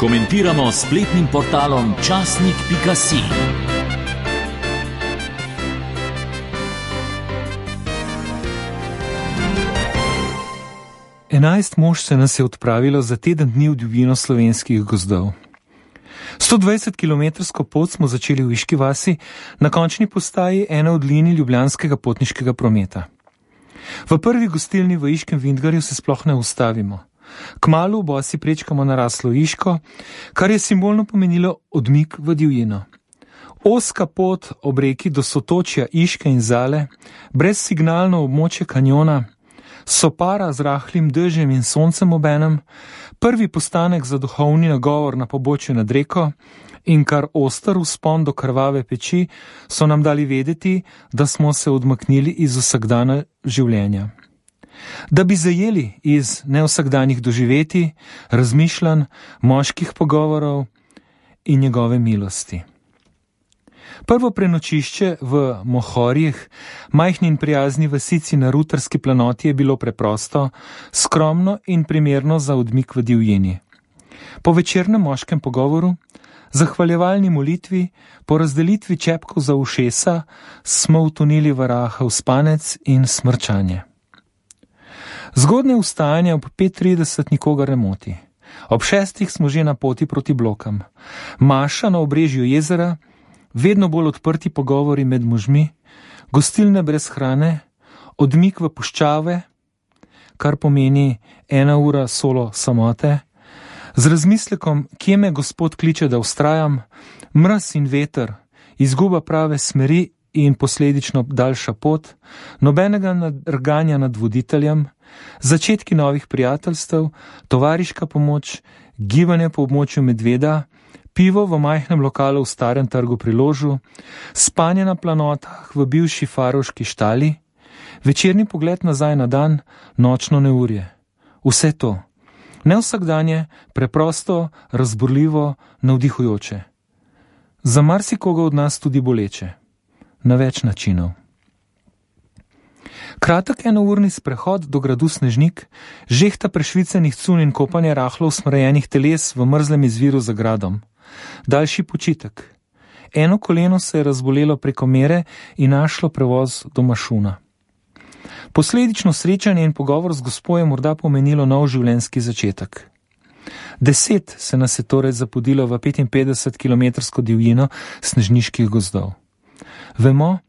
Komentiramo s spletnim portalom časnik.si. 11 mož se nas je odpravilo za teden dni v divjino slovenskih gozdov. 120-kilometrsko pot smo začeli v Iški vasi, na končni postaji ene od linij ljubljanskega potniškega prometa. V prvi gostilni v Iškem Vintgarju se sploh ne ustavimo. Kmalu bosi prečkamo naraslo Iško, kar je simbolno pomenilo odmik v divjino. Ozka pot ob reki do sotočja Iške in Zale, brezsignalno območje kanjona, sopara z rahlim dežjem in soncem obenem, prvi postanek za duhovni nagovor na pobočju nad reko in kar oster vzpon do krvave peči so nam dali vedeti, da smo se odmaknili iz vsakdana življenja. Da bi zajeli iz nevsakdanjih doživeti, razmišljanj, moških pogovorov in njegove milosti. Prvo prenočišče v Mohorjih, majhni in prijazni vasici na Rutarski planoti, je bilo preprosto, skromno in primerno za odmik v divjini. Po večernem moškem pogovoru, zahvaljevalni molitvi, po razdelitvi čepkov za ušesa, smo utonili v rahel spanec in smrčanje. Zgodnje vstajanje ob 5:30 nikogar ne moti. Ob 6 smo že na poti proti Blokam. Maša na obrežju jezera, vedno bolj odprti pogovori med možmi, gostilne brez hrane, odmik v puščave, kar pomeni 1 ura solo samote, z razmislekom, kje me Gospod kliče, da vztrajam, mraz in veter, izguba prave smeri in posledično daljša pot, nobenega nadrganja nad voditeljem, začetki novih prijateljstev, tovariška pomoč, gibanje po območju medveda, pivo v majhnem lokalu v starem trgu pri Ložu, spanje na planotah v bivši farovški štali, večerni pogled nazaj na dan, nočno neurje. Vse to. Ne vsakdanje, preprosto, razburljivo, navdihujoče. Za marsikoga od nas tudi boleče. Na več načinov. Kratek enourni sprehod do gradu Snežnik, žehta prešvicenih cun in kopanje rahlo usmrajenih teles v mrzlem izviru za gradom. Daljši počitek. Eno koleno se je razbolelo preko mere in našlo prevoz do Mašuna. Posledično srečanje in pogovor z gospo je morda pomenilo nov življenjski začetek. 10 se nas je torej zapodilo v 55-kilometrsko divjino snežniških gozdov. Vemo,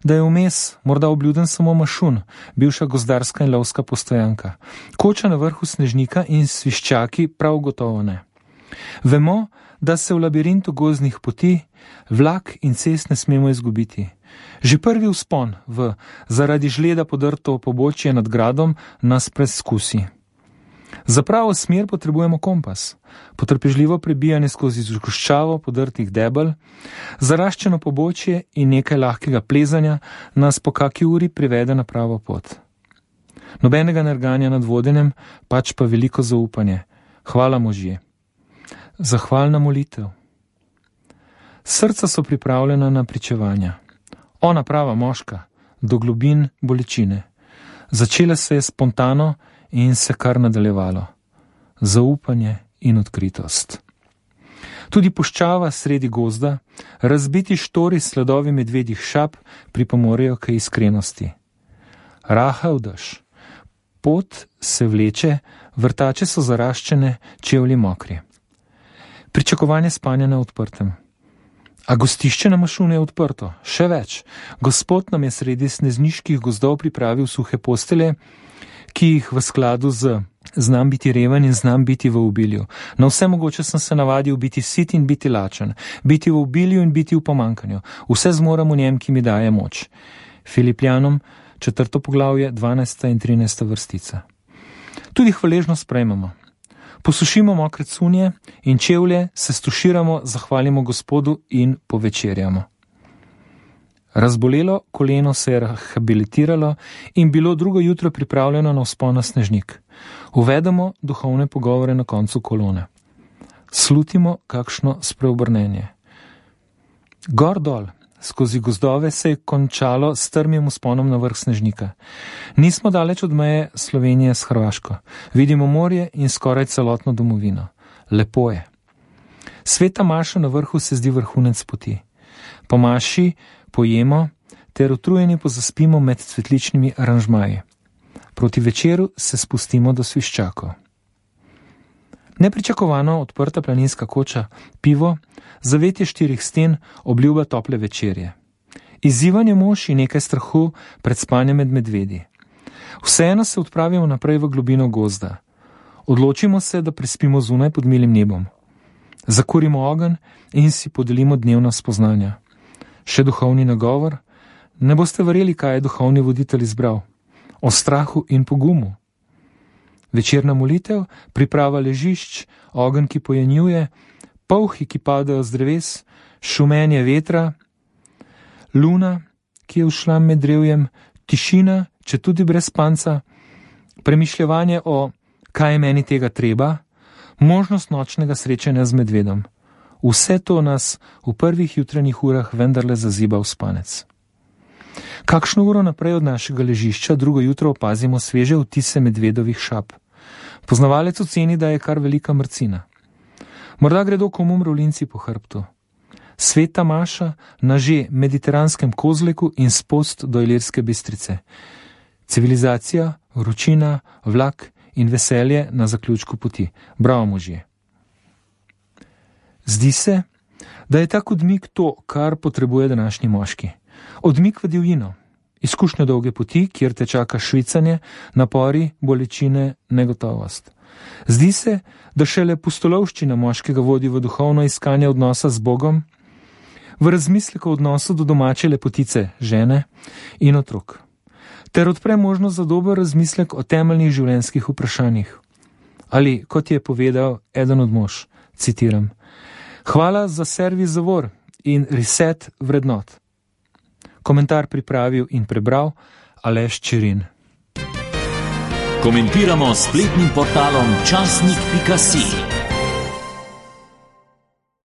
da je vmes morda obljuden samo Mašun, bivša gozdarska in lovska postojanka, koča na vrhu Snežnika in sviščaki prav gotovo ne. Vemo, da se v labirintu gozdnih poti, vlak in cest ne smemo izgubiti. Že prvi vzpon v zaradi žleda podrto pobočje nad gradom nas preskusi. Za pravo smer potrebujemo kompas, potrpežljivo prebijanje skozi zgoščavo podrtih debel, zaraščeno pobočje in nekaj lahkega plezanja nas po kaki uri privede na pravo pot. Nobenega nerganja nad vodenjem, pač pa veliko zaupanje. Hvala možje. Zahvalna molitev. Srca so pripravljena na pričevanja. Ona prava moška, do globin bolečine. Začela se je spontano in se kar nadaljevalo. Zaupanje in odkritost. Tudi puščava sredi gozda, razbiti štori s sledovi medvedjih šap pripomorejo k iskrenosti. Rahel dež. Pot se vleče, vrtače so zaraščene, čevlji mokri. Pričakovanje spanja na odprtem. A gostišče na Mašunu je odprto. Še več. Gospod nam je sredi snežniških gozdov pripravil suhe postelje, ki jih v skladu z znam biti reven in znam biti v obilju. Na vse mogoče sem se navadil biti sit in biti lačen, biti v obilju in biti v pomankanju. Vse zmorem v njem, ki mi daje moč. Filipljanom, 4. poglavje, 12. in 13. vrstica. Tudi hvaležno sprejmemo. Posušimo mokre cunje in čevlje, se stuširamo, zahvalimo Gospodu in povečerjamo. Razbolelo koleno se je rehabilitiralo in bilo drugo jutro pripravljeno na vzpon na Snežnik. Uvedemo duhovne pogovore na koncu kolone. Slutimo kakšno spreobrnenje. Gor dol, skozi gozdove se je končalo s strmim vzponom na vrh Snežnika. Nismo daleč od meje Slovenije s Hrvaško. Vidimo morje in skoraj celotno domovino. Lepo je. Sveta maša na vrhu se zdi vrhunec poti. Po maši pojemo ter utrujeni pozaspimo med cvetličnimi aranžmaji. Proti večeru se spustimo do sviščakov. Nepričakovano odprta planinska koča, pivo, zavetje 4 sten, obljuba tople večerje. Izzivanje mož in nekaj strahu pred spanjem med medvedi. Vseeno se odpravimo naprej v globino gozda. Odločimo se, da prespimo zunaj pod milim nebom. Zakurimo ogenj in si podelimo dnevna spoznanja. Še duhovni nagovor? Ne boste verjeli, kaj je duhovni voditelj izbral. O strahu in pogumu. Večerna molitev, priprava ležišč, ogenj, ki pojenjuje, polhi, ki padajo z dreves, šumenje vetra, luna, ki je ušla med drevjem, tišina, če tudi brez spanca, premišljevanje o kaj je meni tega treba, možnost nočnega srečanja z medvedom. Vse to nas v prvih jutranjih urah vendarle zaziba v spanec. Kakšno uro naprej od našega ležišča drugo jutro opazimo sveže vtise medvedovih šap. Poznavalec oceni, da je kar velika mrcina. Morda gredo komu mravljinci po hrbtu. Sveta maša na že mediteranskem Kozleku in spost do Ilirske Bistrice. Civilizacija, vročina, vlak in veselje na zaključku poti. Bravo, možje. Zdi se, da je tak odmik to, kar potrebuje današnji moški. Odmik v divjino, izkušnjo dolge poti, kjer te čaka švicanje, napori, bolečine, negotovost. Zdi se, da šele pustolovščina moškega vodi v duhovno iskanje odnosa z Bogom, v razmislek o odnosu do domače lepotice, žene in otrok, ter odpre možnost za dober razmislek o temeljnih življenjskih vprašanjih. Ali, kot je povedal eden od mož, citiram, hvala za servis zavor in reset vrednot. Komentar pripravil in prebral Aleš Čirin. Komentiramo s spletnim portalom časnik.si.